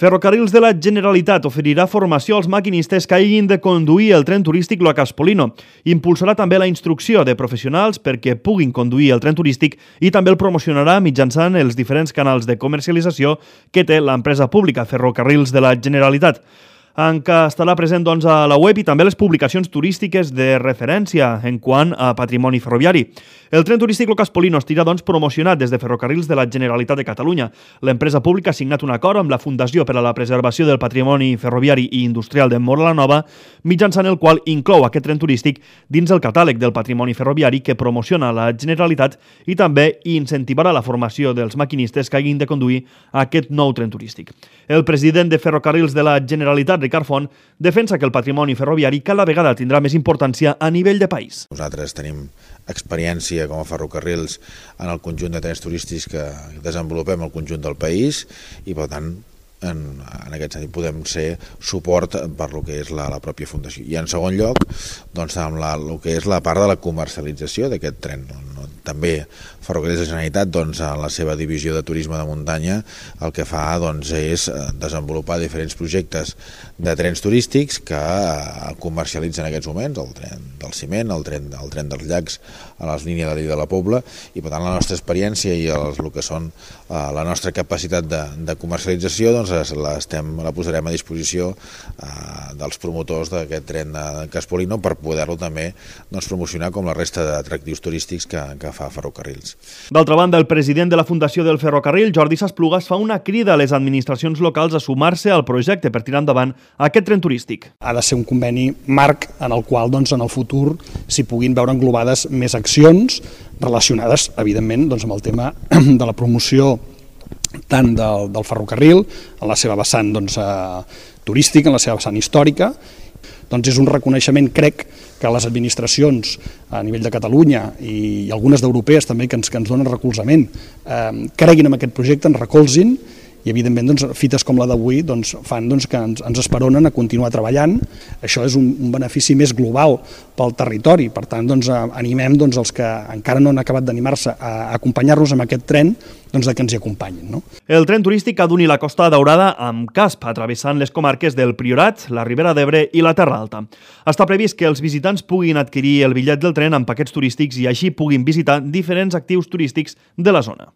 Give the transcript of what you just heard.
Ferrocarrils de la Generalitat oferirà formació als maquinistes que hagin de conduir el tren turístic Lo Caspolino. Impulsarà també la instrucció de professionals perquè puguin conduir el tren turístic i també el promocionarà mitjançant els diferents canals de comercialització que té l'empresa pública Ferrocarrils de la Generalitat, en què estarà present a la web i també les publicacions turístiques de referència en quant a patrimoni ferroviari. El tren turístic Lo Caspolino estarà promocionat des de Ferrocarrils de la Generalitat de Catalunya. L'empresa pública ha signat un acord amb la Fundació per a la Preservació del Patrimoni Ferroviari i Industrial de Móra la Nova, mitjançant el qual inclou aquest tren turístic dins el catàleg del patrimoni ferroviari que promociona la Generalitat i també incentivarà la formació dels maquinistes que hagin de conduir aquest nou tren turístic. El president de Ferrocarrils de la Generalitat, Ricard Font, defensa que el patrimoni ferroviari cada vegada tindrà més importància a nivell de país. Nosaltres tenim experiència com a ferrocarrils en el conjunt de trens turístics que desenvolupem al conjunt del país i, per tant, en aquest sentit podem ser suport per lo que és la pròpia fundació. I en segon lloc, doncs, amb el que és la part de la comercialització d'aquest tren. També Ferrocarrils de la Generalitat, doncs, en la seva divisió de turisme de muntanya, el que fa doncs, és desenvolupar diferents projectes de trens turístics que comercialitzen en aquests moments, el tren del ciment, el tren dels llacs a les línies de la Pobla, i per tant la nostra experiència i el que són la nostra capacitat de comercialització doncs, la posarem a disposició dels promotors d'aquest tren de Caspolino per poder-lo també doncs, promocionar com la resta d'atractius turístics que fa Ferrocarrils. D'altra banda, el president de la Fundació del Ferrocarril, Jordi Sasplugas, fa una crida a les administracions locals a sumar-se al projecte per tirar endavant aquest tren turístic. Ha de ser un conveni marc en el qual doncs, en el futur s'hi puguin veure englobades més accions relacionades, evidentment, doncs, amb el tema de la promoció tant del ferrocarril, en la seva vessant doncs, turística, en la seva vessant històrica. Doncs és un reconeixement, crec, que les administracions a nivell de Catalunya i algunes d'europees també que ens donen recolzament creguin en aquest projecte, ens recolzin i evidentment doncs, fites com la d'avui doncs, fan doncs, que ens esperonen a continuar treballant. Això és un benefici més global pel territori, per tant doncs, animem doncs, els que encara no han acabat d'animar-se a acompanyar-nos amb aquest tren doncs, que ens hi acompanyin. No? El tren turístic ha d'unir la Costa Daurada amb Casp, travessant les comarques del Priorat, la Ribera d'Ebre i la Terra Alta. Està previst que els visitants puguin adquirir el bitllet del tren amb paquets turístics i així puguin visitar diferents actius turístics de la zona.